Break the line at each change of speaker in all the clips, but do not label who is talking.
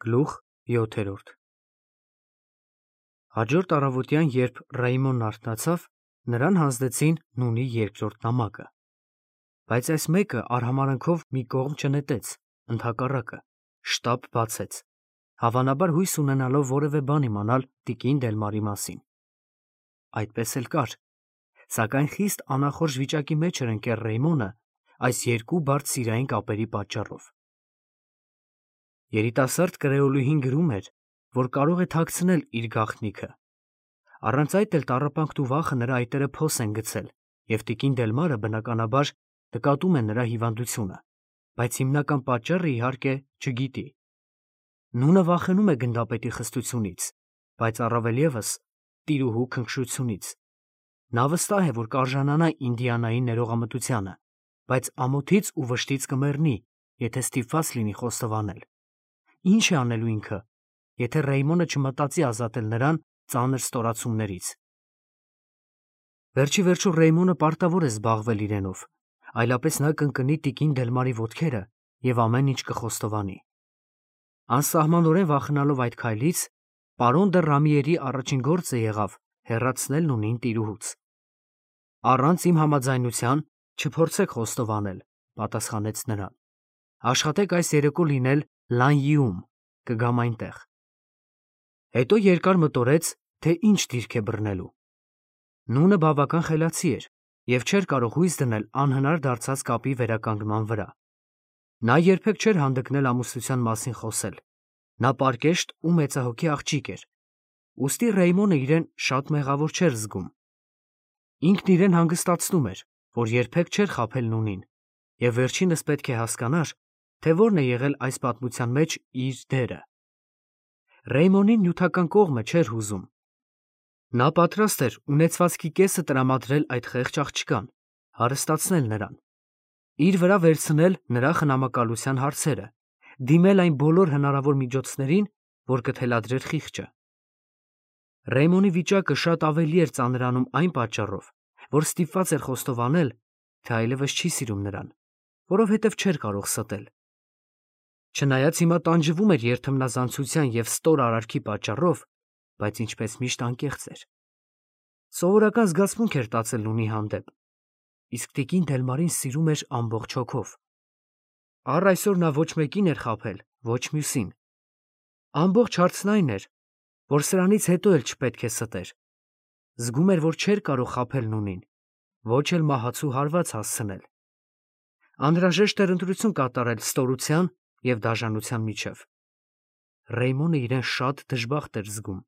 Գլուխ 7 Հաջորդ առավոտյան, երբ Ռայմոնն արթնացավ, նրան հանձնեցին նունի երկրորդ նամակը, բայց այս մեկը արհամարհանքով մի կողմ չնետեց, ընդհակառակը, շտապ բացեց, հավանաբար հույս ունենալով որևէ բան իմանալ տիկին Դելմարի մասին։ Այդպես էլ կար, սակայն խիստ անախորժ վիճակի մեջ էր ընկել Ռեյմոնը այս երկու բարդ սիրային կապերի պատճառով։ Երիտասարդ կրեոլուհին գրում էր, որ կարող է թաքցնել իր գաղտնիքը։ Առանց այդ էլ տառապանքն ու վախը նրա այտերը փոս են գցել, և տիկին Դելմարը բնականաբար նկատում է նրա հիվանդությունը, բայց հիմնական պատճառը, իհարկե, չգիտի։ Նունը վախենում է գնդապետի խստությունից, բայց առավել ևս տիրուհու քնքշությունից։ Նա վստահ է, որ կարժանանա Ինդիանայի ներողամտությանը, բայց ամոթից ու վշտից կմեռնի, եթե ստիպված լինի խոստովանել։ Ինչ է անելու ինքը, եթե Ռեյմոնը չմտածի ազատել նրան ծանր ստորացումներից։ Վերջի վերջո Ռեյմոնը պարտավոր է զբաղվել իրենով, այլապես նա կընկնի տիկին Դելմարի ոտքերը և ամեն ինչ կխոստովանի։ Անսահմանորեն վախենալով այդ քայլից, պարոն դը Ռամիերի առաջին գործը եղավ հեռացնել նունին տիրուհուց։ Առանց իմ համաձայնության չփորձեք խոստովանել, պատասխանեց նրան։ Աշխատեք այս երեկո լինել Լանյիում, կգամ այնտեղ։ Հետո երկար մտորեց, թե ինչ դիրք է բռնելու։ Նունը բավական խելացի էր և չէր կարող հույս դնել անհնար դարձած կապի վերականգնման վրա։ Նա երբեք չէր հանդգնել ամուսնության մասին խոսել։ Նա պարկեշտ ու մեծահոգի աղջիկ էր, ուստի Ռեյմոնը իրեն շատ մեղավոր չէր զգում։ Ինքն իրեն հանգստացնում էր, որ երբեք չէր խաբել նունին, և վերջինս պետք է հասկանար, թե որն է եղել այս պատմության մեջ իր դերը։ Ռեյմոնին նյութական կողմը չէր հուզում։ Նա պատրաստ էր ունեցվածքի կեսը տրամադրել այդ խեղճ աղջկան, հարստացնել նրան, իր վրա վերցնել նրա խնամակալության հարցերը, դիմել այն բոլոր հնարավոր միջոցներին, որ կթելադրեր խիղճը։ Ռեյմոնի վիճակը շատ ավելի էր ծանրանում այն պատճառով, որ ստիպված էր խոստովանել, թե այլևս չի սիրում նրան, որովհետև չէր կարող ստել։ Չնայած հիմա տանջվում էր երթմնազանցության և ստոր արարքի պատճառով, բայց ինչպես միշտ անկեղծ էր։ Սովորական զգացմունք էր տածել նունի հանդեպ, իսկ տիկին Դելմարին սիրում էր ամբողջ հոգով։ Առ այսօր նա ոչ մեկին էր խաբել, ոչ մյուսին։ Ամբողջ հարցն այն էր, որ սրանից հետո էլ չպետք է ստեր։ Զգում էր, որ չէր կարող խաբել նունին, ոչ էլ մահացու հարված հասցնել։ Անհրաժեշտ էր ընտրություն կատարել ստորության և դաժանության միջև։ Ռեյմոնը իրեն շատ դժբախտ էր զգում։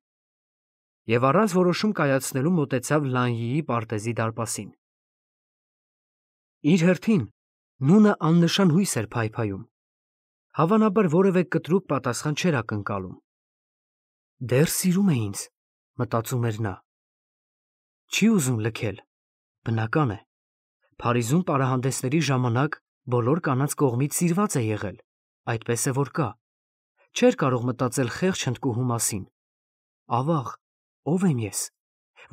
Եվ առանց որոշում կայացնելու մոտեցավ Լանյիի պարտեզի դարպասին։ Իր հերթին նունը աննշան հույս էր փայփայում։ Հավանաբար որևէ կտրուկ պատասխան չէր ակնկալում։ Դեռ սիրում է ինձ, մտածում էր նա։ Չի ուզում լքել, բնական է։ Փարիզում պարահանդեսների ժամանակ բոլոր կանանց կողմից սիրված է եղել, այդպես է որ կա։ Չէր կարող մտածել խեղճ հնդկուհու մասին։ Ավաղ, ով եմ ես,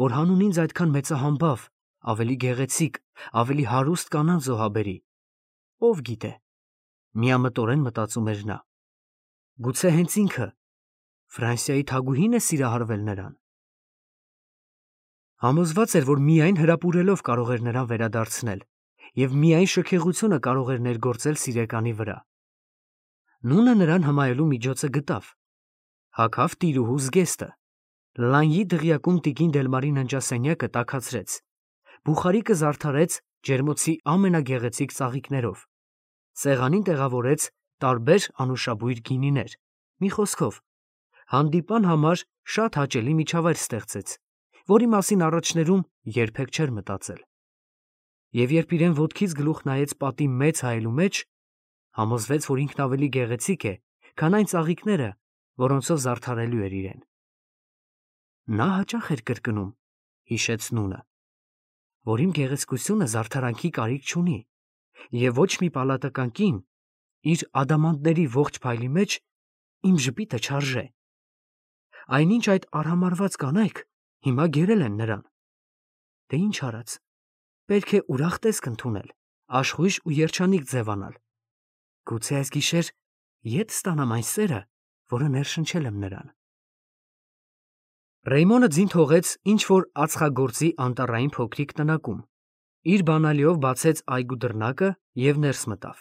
որ հանուն ինձ այդքան մեծահամբավ, ավելի գեղեցիկ, ավելի հարուստ կանանց զոհաբերի։ Ով գիտե, միամտորեն մտածում էր նա։ Գուցե հենց ինքը, Ֆրանսիայի թագուհին է սիրահարվել նրան։ Համոզված էր, որ միայն հրապուրելով կարող էր նրան վերադարձնել, և միայն շքեղությունը կարող էր ներգործել սիրեկանի վրա։ Նունը նրան հմայելու միջոցը գտավ։ Հագավ տիրուհու զգեստը։ Լանյի դղյակում տիկին Դելմարի ննջասենյակը տաքացրեց։ Բուխարիկը զարդարեց ջերմոցի ամենագեղեցիկ ծաղիկներով։ Սեղանին տեղավորեց տարբեր անուշաբույր գինիներ։ Մի խոսքով, հանդիպան համար շատ հաճելի միջավայր ստեղծեց, որի մասին առաջներում երբեք չէր մտածել։ Եվ երբ իրեն ոտքից գլուխ նայեց պատի մեծ հայելու մեջ, համոզվեց, որ ինքն ավելի գեղեցիկ է, քան այն ծաղիկները, որոնցով զարդարելու էր իրեն։ Նա հաճախ էր կրկնում, հիշեց նունը, որ իմ գեղեցկությունը զարդարանքի կարիք չունի, և ոչ մի պալատական կին իր ադամանդների ողջ փայլի մեջ իմ ժպիտը չարժե։ Այնինչ այդ արհամարհված կանայք հիմա գերել են նրան։ Դե ինչ արած, պետք է ուրախ տեսք ընդունել, աշխույժ ու երջանիկ ձևանալ։ Գուցե այս գիշեր ետ ստանամ այն սերը, որը ներշնչել եմ նրան։ Ռեյմոնը ձին թողեց ինչ-որ ածխագործի անտառային փոքրիկ տնակում, իր բանալիով բացեց այգու դռնակը և ներս մտավ։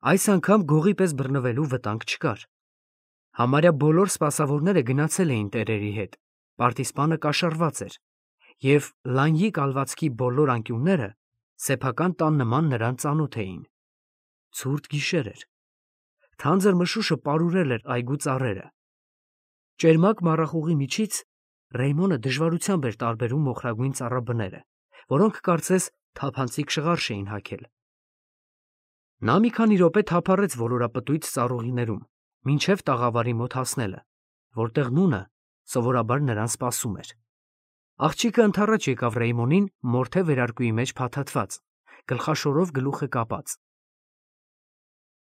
Այս անգամ գողի պես բռնվելու վտանգ չկար։ Համարյա բոլոր սպասավորները գնացել էին տերերի հետ, պարտիզպանը կաշառված էր, և լանյի կալվածքի բոլոր անկյունները սեփական տան նման նրան ծանոթ էին։ Ցուրտ գիշեր էր։ Թանձր մշուշը պարուրել էր այգու ծառերը։ Ճերմակ մառախուղի միջից Ռեյմոնը դժվարությամբ էր տարբերում մոխրագույն ծառաբները, որոնք կարծես թափանցիկ շղարշ էին հագել։ Նա մի քանի րոպե թափառեց ոլորապտույտ ծառուղիներում, մինչև տաղավարի մոտ հասնելը, որտեղ նունը սովորաբար նրան սպասում էր։ Աղջիկը ընդառաջ եկավ Ռեյմոնին մորթե վերարկուի մեջ փաթաթված, գլխաշորով գլուխը կապած։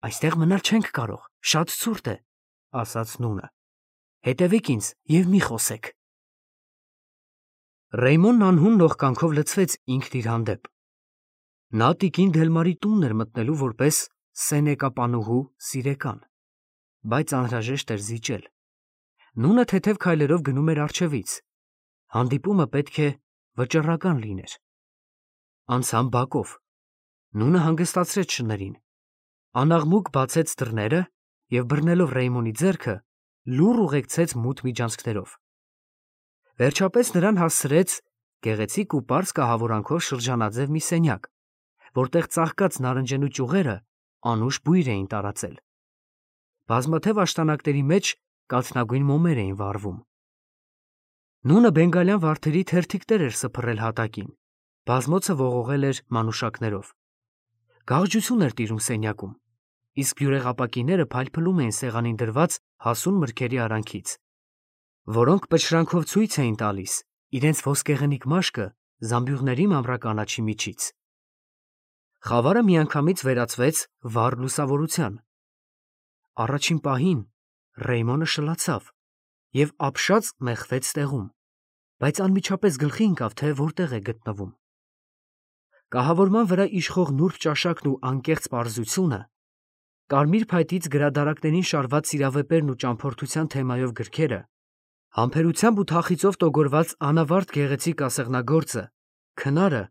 «Այստեղ մնալ չենք կարող, շատ ցուրտ է», ասաց նունը։ «Հետևեք ինձ և մի խոսեք»։ Ռեյմոնն անհուն նողկանքով լցվեց ինքն իր հանդեպ։ Նա տիկին Դելմարի տունն էր մտնելու որպես սենեկապանուհու սիրեկան, բայց անհրաժեշտ էր զիջել։ Նունը թեթև քայլերով գնում էր առջևից։ Հանդիպումը պետք է վճռական լիներ։ Անցան բակով։ Նունը հանգստացրեց շներին։ Անաղմուկ բացեց դռները և բռնելով Ռեյմոնի ձեռքը լուռ ուղեկցեց մութ միջանցքներով։ Վերջապես նրան հասցրեց գեղեցիկ ու պարզ կահավորանքով շրջանաձև մի սենյակ, որտեղ ծաղկած նարնջենու ճյուղերը անուշ բույր էին տարածել։ Բազմաթև աշտանակների մեջ կաթնագույն մոմեր էին վառվում։ Նունը բենգալյան վարդերի թերթիկներ էր սփռել հատակին, բազմոցը ողողել էր մանուշակներով։ Գաղջություն էր տիրում սենյակում, իսկ բյուրեղապակիները փայլփլում էին սեղանին դրված հասուն մրգերի արանքից, որոնք պշրանքով ցույց էին տալիս իրենց ոսկեղենիկ մաշկը զամբյուղների մանրականաչի միջից։ Խավարը միանգամից վերածվեց վառ լուսավորության։ Առաջին պահին Ռեյմոնը շլացավ և ապշած մեխվեց տեղում, բայց անմիջապես գլխի ընկավ, թե որտեղ է գտնվում։ Կահավորման վրա իշխող նուրբ ճաշակն ու անկեղծ պարզությունը, կարմիր փայտից գրադարակներին շարված սիրավեպերն ու ճամփորդության թեմայով գրքերը, համբերությամբ ու թախիծով տոգորված անավարտ գեղեցիկ ասեղնագործը, քնարը,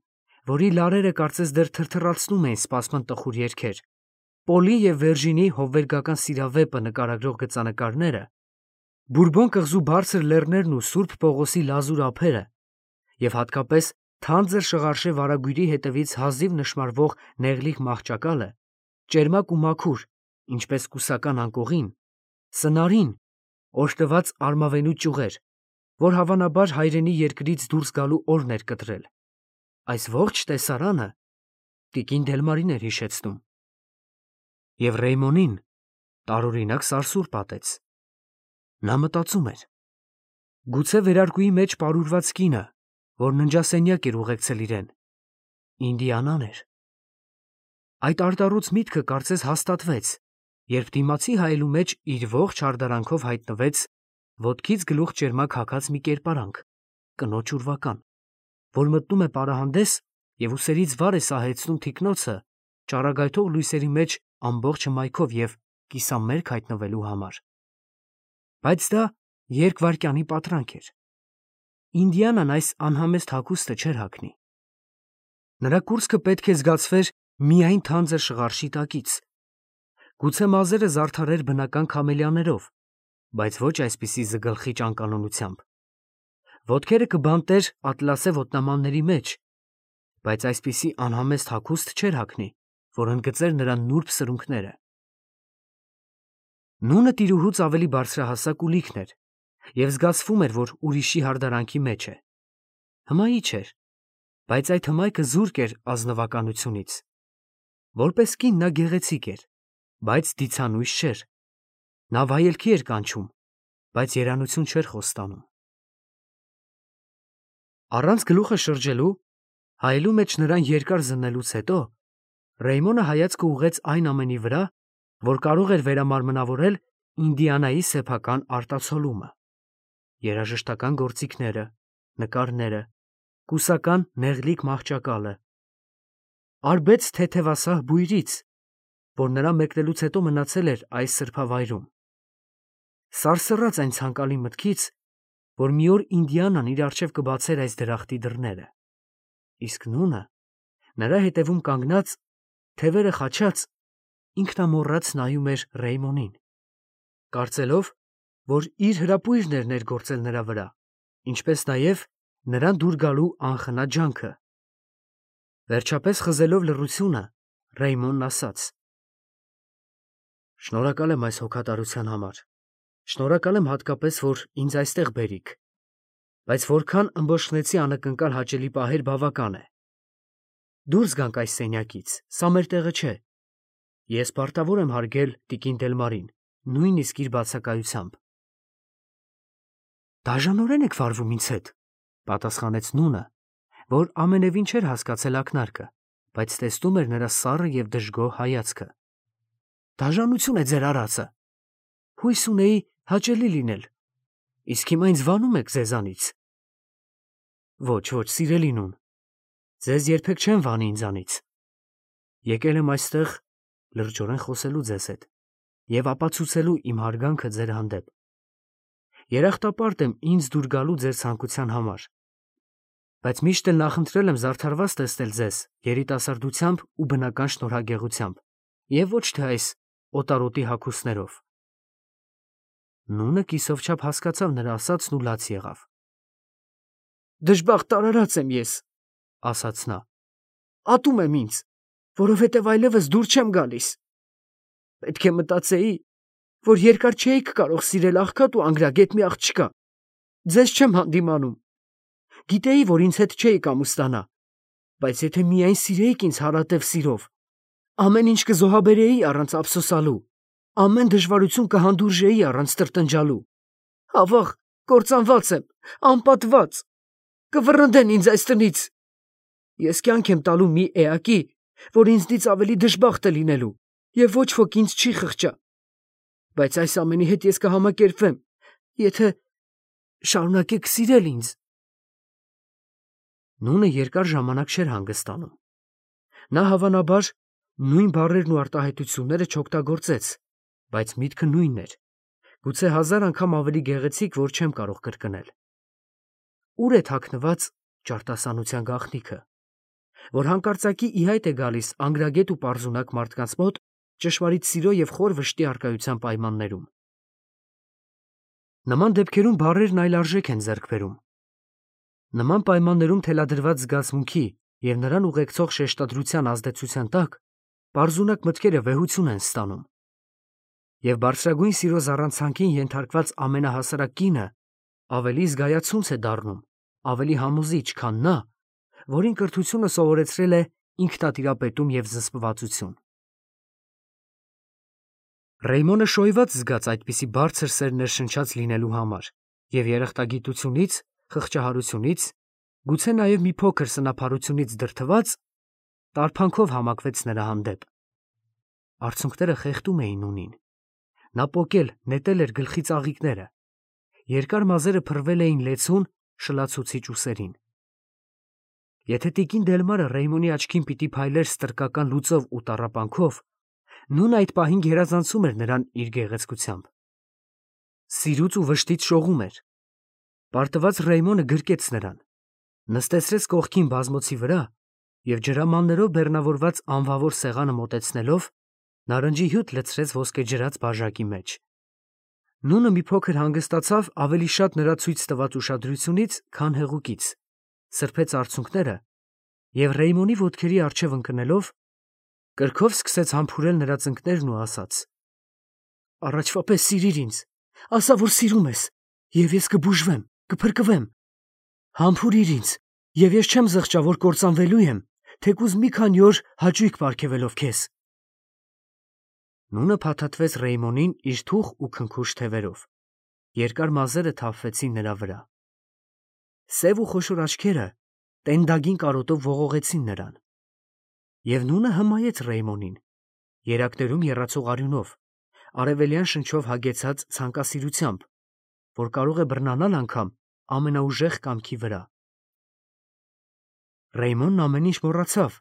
որի լարերը կարծես դեռ թրթռացնում էին սպասման տխուր երգեր, Պոլի և Վերժինի հովվերգական սիրավեպը նկարագրող գծանկարները, Բուրբոն կղզու բարձր լեռներն ու Սուրբ Պողոսի լազուր ափերը և հատկապես թանձր շղարշե վարագույրի հետևից հազիվ նշմարվող նեղլիկ մահճակալը, ճերմակ ու մաքուր, ինչպես կուսական անկողին, սնարին, օժտված արմավենու ճյուղեր, որ հավանաբար հայրենի երկրից դուրս գալու օրն էր կտրել։ Այս ողջ տեսարանը տիկին Դելմարին էր հիշեցնում։ Եվ Ռեյմոնին տարօրինակ սարսուռ պատեց։ Նա մտածում էր. գուցե վերարկուի մեջ պարուրված կինը, որ ննջասենյակ էր ուղեկցել իրեն, Ինդիանան էր։ Այդ արտառոց միտքը կարծես հաստատվեց, երբ դիմացի հայելու մեջ իր ողջ հարդարանքով հայտնվեց ոտքից գլուխ ճերմակ հագած մի կերպարանք, կնոջ ուրվական, որ մտնում է պարահանդես և ուսերից վար է սահեցնում թիկնոցը ճառագայթող լույսերի մեջ ամբողջ հմայքով և կիսամերկ հայտնվելու համար։ Բայց դա երկվայրկյանի պատրանք էր։ Ինդիանան այս անհամեստ հագուստը չէր հագնի։ Նրա կուրծքը պետք է զգացվեր միայն թանձր շղարշի տակից։ Գուցե մազերը զարդարեր բնական քամելիաներով, բայց ոչ այսպիսի զգլխիչ անկանոնությամբ։ Ոտքերը կբանտեր ատլասե ոտնամանների մեջ, բայց այսպիսի անհամեստ հագուստ չէր հագնի, որ ընդգծեր նրա նուրբ սրունքները։ Նունը տիրուհուց ավելի բարձրահասակ ու լիքն էր, և զգացվում էր, որ ուրիշի հարդարանքի մեջ է։ Հմայիչ էր, բայց այդ հմայքը զուրկ էր ազնվականությունից։ Որպես կին նա գեղեցիկ էր, բայց դիցանույս չէր։ Նա վայելքի էր կանչում, բայց երանություն չէր խոստանում։ Առանց գլուխը շրջելու, հայելու մեջ նրան երկար զննելուց հետո, Ռեյմոնը հայացքը ուղղեց այն ամենի վրա, որ կարող էր վերամարմնավորել Ինդիանայի սեփական արտացոլումը. երաժշտական գործիքները, նկարները, կուսական նեղլիկ մահճակալը, արբեց թեթևասահ բույրից, որ նրա մեկնելուց հետո մնացել էր այս սրբավայրում, սարսռաց այն ցանկալի մտքից, որ մի օր Ինդիանան իր առջև կբացեր այս դրախտի դռները, իսկ նունը նրա հետևում կանգնած, թևերը խաչած, ինքնամոռաց նայում էր Ռեյմոնին, կարծելով, որ իր հրապույրն էր ներգործել նրա վրա, ինչպես նաև նրան դուր գալու անխնա ջանքը։ Վերջապես խզելով լռությունը, Ռեյմոնն ասաց. «Շնորհակալ եմ այս հոգատարության համար, շնորհակալ եմ հատկապես, որ ինձ այստեղ բերիք, բայց որքան ըմբոշխնեցի անակնկալ հաճելի պահեր բավական է։ Դուրս գանք այս սենյակից, սա մեր տեղը չէ։ Ես պարտավոր եմ հարգել տիկին Դելմարին, նույնիսկ իր բացակայությամբ»։ «Դաժանորեն եք վարվում ինձ հետ», պատասխանեց նունը, որ ամենևին չէր հասկացել ակնարկը, բայց տեսնում էր նրա սառը և դժգոհ հայացքը։ «Դաժանություն է ձեր արածը։ Հույս ունեի հաճելի լինել, իսկ հիմա ինձ վանում եք ձեզանից»։ «Ոչ, ոչ, սիրելի նուն, ձեզ երբեք չեմ վանի ինձանից։ Եկել եմ այստեղ լրջորեն խոսելու ձեզ հետ և ապացուցելու իմ հարգանքը ձեր հանդեպ։ Երախտապարտ եմ ինձ դուր գալու ձեր ցանկության համար, բայց միշտ էլ նախընտրել եմ զարդարված տեսնել ձեզ երիտասարդությամբ ու բնական շնորհագեղությամբ և ոչ թե այս օտարոտի հագուստներով»։ Նունը կիսով չափ հասկացավ նրա ասածն ու լաց եղավ։ «Դժբախտ արարած եմ ես, ասաց նա, ատում եմ ինձ, որովհետև այլևս դուր չեմ գալիս։ Պետք է մտածեի, որ երկար չէիք կարող սիրել աղքատ ու անգրագետ մի աղջկա։ Ձեզ չեմ հանդիմանում։ Գիտեի, որ ինձ հետ չէիք ամուսնանա, բայց եթե միայն սիրեիք ինձ հարատև սիրով, ամեն ինչ կզոհաբերեի առանց ափսոսալու, ամեն դժվարություն կհանդուրժեի առանց տրտնջալու։ Ավաղ, կործանված եմ, անպատված, կվռնդեն ինձ այս տնից։ Ես կյանք եմ տալու մի էակի, որ ինձնից ավելի դժբախտ է լինելու, և ոչ ոք ինձ չի խղճա։ Բայց այս ամենի հետ ես կհամակերպվեմ, եթե շարունակեք սիրել ինձ»։ Նունը երկար ժամանակ չէր հանգստանում։ Նա հավանաբար նույն բառերն ու արտահայտությունները չօգտագործեց, բայց միտքը նույնն էր, գուցե 1000 անգամ ավելի գեղեցիկ, որ չեմ կարող կրկնել։ Ուր է թաքնված ճարտասանության գաղտնիքը, որ հանկարծակի ի հայտ է գալիս անգրագետ ու պարզունակ մարդկանց մոտ ճշմարիտ սիրո և խոր վշտի առկայության պայմաններում։ Նման դեպքերում բառերն այլ արժեք են ձեռք բերում։ Նման պայմաններում թելադրված զգացմունքի և նրան ուղեկցող շեշտադրության ազդեցության տակ պարզունակ մտքերը վեհություն են ստանում։ Եվ բարձրագույն սիրո զառանցանքին ենթարկված ամենահասարակ կինը ավելի զգայացունց է դառնում, ավելի համոզիչ, քան նա, որին կրթությունը սովորեցրել է ինքնատիրապետում և զսպվածություն։ Ռեյմոնը շոյված զգաց այդպիսի բարձր սեր ներշնչած լինելու համար և երախտագիտությունից, խղճահարությունից, գուցե նաև մի փոքր սնափառությունից դրդված, տարփանքով համակվեց նրա հանդեպ։ Արցունքները խեղդում էին նունին։ Նա պոկել, նետել էր գլխի ծաղիկները։ Երկար մազերը փռվել էին լեցուն, շլացուցիչ ուսերին։ Եթե տիկին Դելմարը Ռեյմոնի աչքին պիտի փայլեր ստրկական լուծով ու տառապանքով, նունը այդ պահին գերազանցում էր նրան իր գեղեցկությամբ։ Սիրուց ու վշտից շողում էր։ Պարտված Ռեյմոնը գրկեց նրան, նստեցրեց կողքին բազմոցի վրա և ջրամաններով բեռնավորված անվավոր սեղանը մոտեցնելով, նարնջի հյութ լցրեց ոսկեջրած բաժակի մեջ։ Նունը մի փոքր հանգստացավ ավելի շատ նրա ցույց տված ուշադրությունից, քան հեղուկից, սրբեց արցունքները և Ռեյմոնի ոտքերի առջև ընկնելով, կրքով սկսեց համբուրել նրա ծնկներն ու ասաց. «Առաջվա պես սիրիր ինձ, ասա, որ սիրում ես, և ես կբուժվեմ, կփրկվեմ։ Համբուրիր ինձ, և ես չեմ զղջա, որ կործանվելու եմ, թեկուզ մի քանի օր հաճույք պարգևելով քեզ»։ Նունը փաթաթվեց Ռեյմոնին իր թուխ ու քնքուշ թևերով։ Երկար մազերը թափվեցին նրա վրա։ Սև ու խոշոր աչքերը տենդագին կարոտով ողողեցին նրան։ Եվ նունը հմայեց Ռեյմոնին, երակներում եռացող արյունով, արևելյան շնչով հագեցած ցանկասիրությամբ, որ կարող է բռնանալ անգամ ամենաուժեղ կամքի վրա։ Ռեյմոնն ամեն ինչ մոռացավ,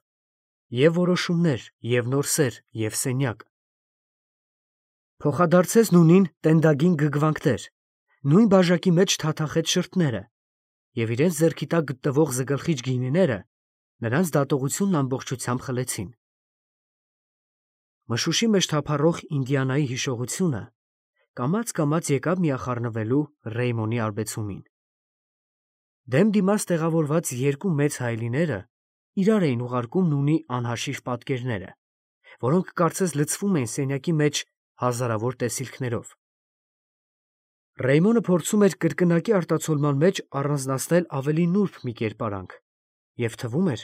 և որոշումներ, և նոր սեր, և սենյակ։ Փոխադարձեց նունին տենդագին գգվանքներ, նույն բաժակի մեջ թաթախեց շրթները և իրենց ձեռքի տակ գտնվող զգլխիչ գինիները նրանց դատողությունն ամբողջությամբ խլեցին։ Մշուշի մեջ թափառող Ինդիանայի հիշողությունը կամաց եկավ միախառնվելու Ռեյմոնի արբեցումին։ Դեմ դիմաց տեղավորված երկու մեծ հայելիները իրար էին ուղարկում նունի անհաշիվ պատկերները, որոնք կարծես լցվում էին սենյակի մեջ հազարավոր տեսիլքներով։ Ռեյմոնը փորձում էր կրկնակի արտացոլման մեջ առանձնացնել ավելի նուրբ մի կերպարանք, և թվում էր,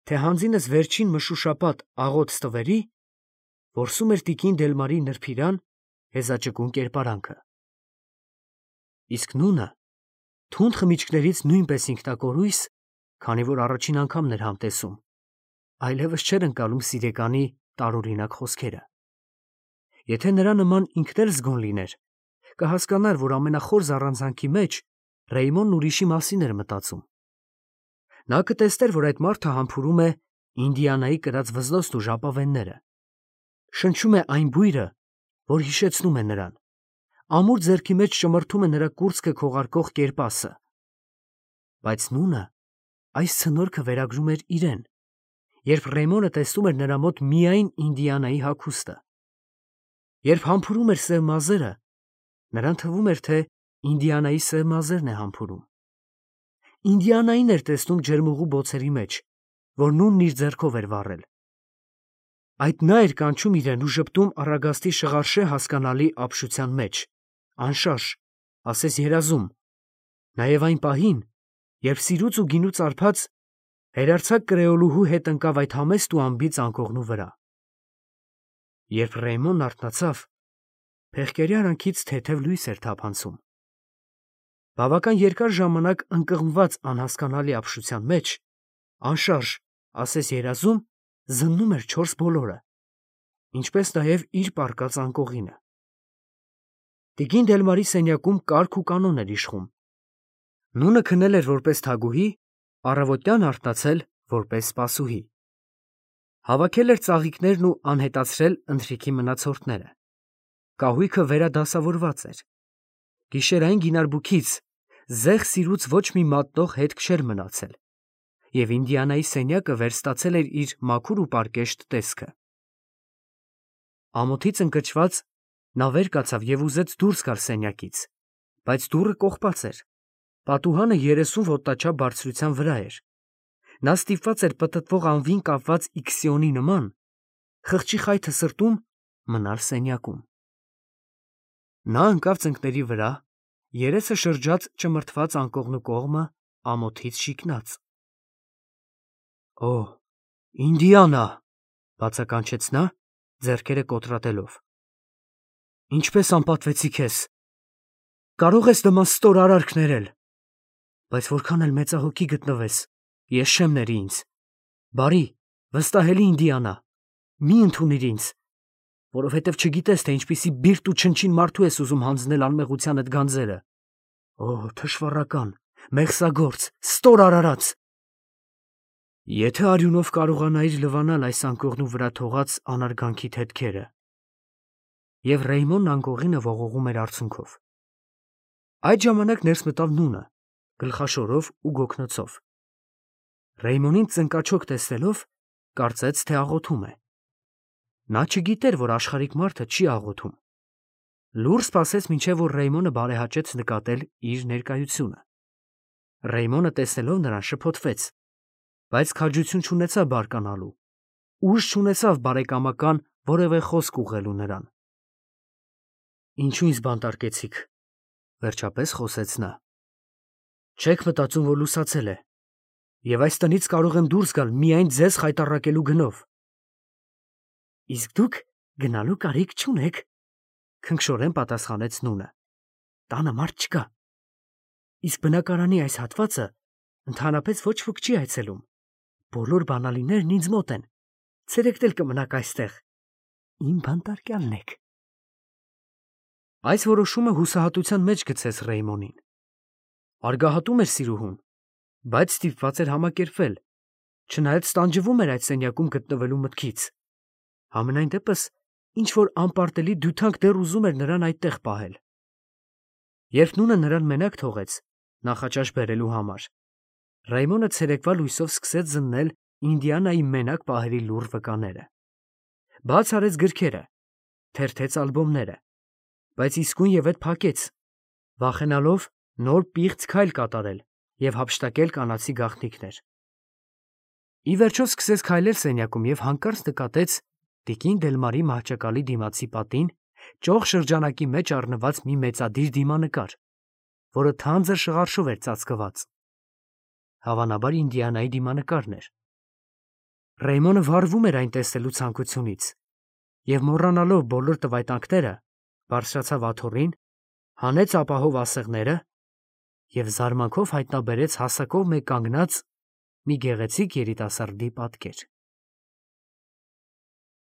թե հանձինս վերջին մշուշապատ աղոտ ստվերի, որսում էր տիկին Դելմարի նրբիրան հեզաճկուն կերպարանքը։ Իսկ նունը թունդ խմիչքներից նույնպես ինքնակորույս, քանի որ առաջին անգամն էր համտեսում, այլևս չէր ընկալում սիրեկանի տարօրինակ խոսքերը։ Եթե նրա նման ինքն էլ զգոն լիներ, կհասկանար, որ ամենախոր զառանցանքի մեջ Ռեյմոնն ուրիշի մասին էր մտածում։ Նա կտեսներ, որ այդ մարդը համբուրում է Ինդիանայի կրած վզնոցն ու ժապավենները, շնչում է այն բույրը, որ հիշեցնում է նրան, ամուր ձեռքի մեջ ճմրթում է նրա կուրծքը քողարկող կերպասը։ Բայց նունը այս ցնորքը վերագրում էր իրեն, երբ Ռեյմոնը տեսնում էր նրա մոտ միայն Ինդիանայի հագուստը։ Երբ համբուրում էր սև մազերը, նրան թվում էր, թե Ինդիանայի սև մազերն է համբուրում։ Ինդիանային էր տեսնում ջերմուղու բոցերի մեջ, որ նունն իր ձեռքով էր վառել։ Այդ նա էր կանչում իրեն ու ժպտում առագաստի շղարշե հասկանալի ապշության մեջ, անշարժ, ասես երազում, նաև այն պահին, երբ սիրուց ու գինուց արբած հերարձակ կրեոլուհու հետ ընկավ այդ համեստ ու անբիծ անկողնու վրա։ Երբ Ռեյմոնն արթնացավ, փեղկերի արանքից թեթև լույս էր թափանցում։ Բավական երկար ժամանակ ընկղմված անհասկանալի ապշության մեջ, անշարժ, ասես երազում, զննում էր չորս բոլորը, ինչպես նաև իր պառկած անկողինը։ Տիկին Դելմարի սենյակում կարգ ու կանոն էր իշխում։ Նունը քնել էր որպես թագուհի, առավոտյան արթնացել որպես սպասուհի։ Հավաքել էր ծաղիկներն ու անհետացրել ընթրիքի մնացորդները։ Կահույքը վերադասավորված էր։ Գիշերային գինարբուքից զեղ սիրուց ոչ մի մատնող հետք չէր մնացել, և Ինդիանայի սենյակը վերստացել էր իր մաքուր ու պարկեշտ տեսքը։ Ամոթից ընկճված նա վեր կացավ և ուզեց դուրս գալ սենյակից, բայց դուռը կողպած էր։ Պատուհանը 30 ոտնաչափ բարձրության վրա էր։ Նա ստիպված էր պտտվող անվին կապված իքսիոնի նման, խղճի խայթը սրտում, մնալ սենյակում։ Նա ընկավ ծնկների վրա, երեսը շրջած ճմրթված անկողնու կողմը ամոթից շիկնաց։ «Օ, Ինդիանա», բացականչեց նա, ձեռքերը կոտրատելով, «ինչպես անպատվեցի քեզ։ Կարող ես նման ստոր արարք ներել, բայց որքան էլ մեծահոգի գտնվես, ես չեմ ների ինձ։ Բարի, վստահելի Ինդիանա, մի ընդունիր ինձ, որովհետև չգիտես, թե ինչպիսի բիրտ ու չնչին մարդու ես ուզում հանձնել անմեղությանդ գանձերը։ Օ, թշվառական, մեղսագործ, ստոր արարած։ Եթե արյունով կարողանայիր լվանալ այս անկողնու վրա թողած անարգանքիդ հետքերը»։ Եվ Ռեյմոնն անկողինը ողողում էր արցունքով։ Այդ ժամանակ ներս մտավ նունը, գլխաշորով ու գոգնոցով։ Ռեյմոնին ծնկաչոք տեսնելով, կարծեց, թե աղոթում է։ Նա չգիտեր, որ աշխարհիկ մարդը չի աղոթում։ Լուռ սպասեց, մինչև որ Ռեյմոնը բարեհաճեց նկատել իր ներկայությունը։ Ռեյմոնը տեսնելով նրան շփոթվեց, բայց քաջություն չունեցավ բարկանալու, ուժ չունեցավ բարեկամական որևէ խոսք ուղղելու նրան։ «Ինչու ինձ բանտարկեցիք», վերջապես խոսեց նա։ «Չեք մտածում, որ լուսացել է, և այս տնից կարող եմ դուրս գալ միայն ձեզ խայտառակելու գնով»։ «Իսկ դուք գնալու կարիք չունեք», քնքշորեն պատասխանեց նունը։ «Տանը մարդ չկա։ Իսկ բնակարանի այս հատվածը ընդհանրապես ոչ ոք չի այցելում։ Բոլոր բանալիներն ինձ մոտ են։ Ցերեկն էլ կմնաք այստեղ։ Իմ բանտարկյալն եք»։ Այս որոշումը հուսահատության մեջ գցեց Ռեյմոնին։ Արգահատում էր սիրուհուն, բայց ստիպված էր համակերպվել, չնայած տանջվում էր այդ սենյակում գտնվելու մտքից։ Համենայն դեպս ինչ-որ անպարտելի դյութանք դեռ ուզում էր նրան այդտեղ պահել։ Երբ նունը նրան մենակ թողեց, նախաճաշ բերելու համար, Ռայմոնը ցերեկվա լույսով սկսեց զննել Ինդիանայի մենակ պահերի լուռ վկաները։ Բաց արեց գրքերը, թերթեց ալբոմները, բայց իսկույնևեթ փակեց, վախենալով նոր պիղծ քայլ կատարել և հափշտակել կանացի գաղտնիքներ։ Ի վերջո սկսեց քայլել սենյակում և հանկարծ նկատեց տիկին Դելմարի մահճակալի դիմացի պատին ճոխ շրջանակի մեջ առնված մի մեծադիր դիմանկար, որը թանձր շղարշով էր ծածկված։ Հավանաբար Ինդիանայի դիմանկարն էր։ Ռեյմոնը վառվում էր այն տեսնելու ցանկությունից և, մոռանալով բոլոր տվայտանքները, բարձրացավ աթոռին, հանեց ապահով ասեղները և զարմանքով հայտնաբերեց հասակով մեկ կանգնած մի գեղեցիկ երիտասարդի պատկեր։